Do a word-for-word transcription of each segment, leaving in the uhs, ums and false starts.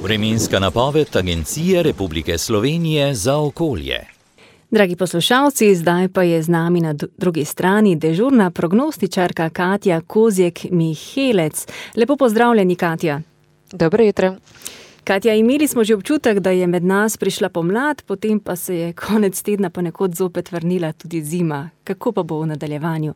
Vremenska napoved Agencije Republike Slovenije za okolje. Dragi poslušalci, zdaj pa je z nami na drugi strani dežurna prognostičarka Katja Kozjek-Mihelec. Lepo pozdravljeni, Katja. Dobro jutro. Katja, imeli smo že občutek, da je med nas prišla pomlad, potem pa se je konec tedna ponekod zopet vrnila tudi zima. Kako pa bo v nadaljevanju?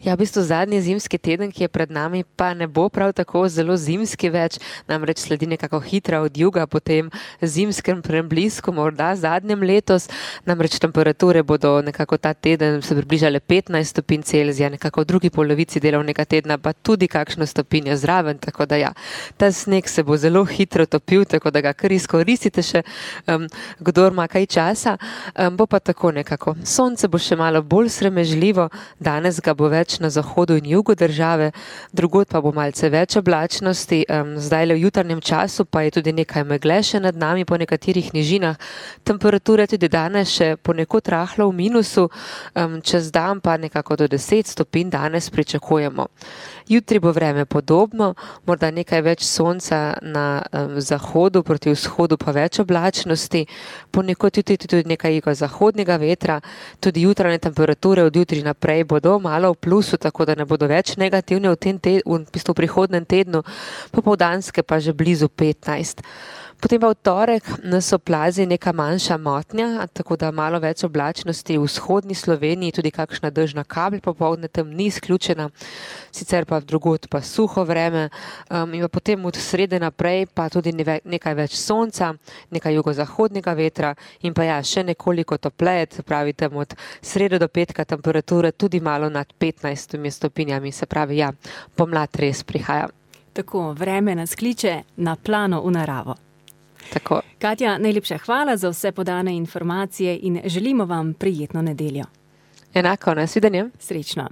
Ja, v bistvu zadnji zimski teden, ki je pred nami, pa ne bo prav tako zelo zimski več, namreč sledi nekako hitra odjuga po tem zimskem preblisku, morda zadnjem letos, namreč temperature bodo nekako ta teden se približale petnajst stopinj Celzija, nekako v drugi polovici delovnega tedna pa tudi kakšno stopinjo zraven, tako da ja, ta sneg se bo zelo hitro topil, tako da ga kar izkoristite še, um, kdor ima kaj časa, um, bo pa tako nekako. Sonce bo še malo bolj sramežljivo, danes ga bo več na zahodu in jugu države, drugod pa bo malce več oblačnosti, um, zdaj le v jutarnjem času pa je tudi nekaj megle še nad nami po nekaterih nižinah, temperature tudi danes še ponekod rahlo v minusu, um, čez dan pa nekako do deset stopinj danes pričakujemo. Jutri bo vreme podobno, morda nekaj več sonca na um, zahodu, proti vzhodu pa več oblačnosti, ponekod jutri tudi nekaj jugozahodnega vetra, tudi jutranje temperature od jutri naprej bodo malo v plusu, tako da ne bodo več negativne v tem tednu, v bistvu v prihodnem tednu, popoldanske pa že blizu petnajst. Potem pa v torek nas oplazi neka manjša motnja, tako da malo več oblačnosti v vzhodni Sloveniji, tudi kakšna dežna kaplja popoldne tam ni izključena, sicer pa drugod pa suho vreme, um, in pa potem od srede naprej pa tudi nekaj več sonca, nekaj jugozahodnega vetra in pa ja, še nekoliko topleje, se pravi tam od srede do petka temperature tudi malo nad petnajstimi stopinjami, se pravi ja, pomlad res prihaja. Tako, vreme nas kliče na plano v naravo. Tako. Katja, najlepša hvala za vse podane informacije in želimo vam prijetno nedeljo. Enako, nasvidenje. Srečno.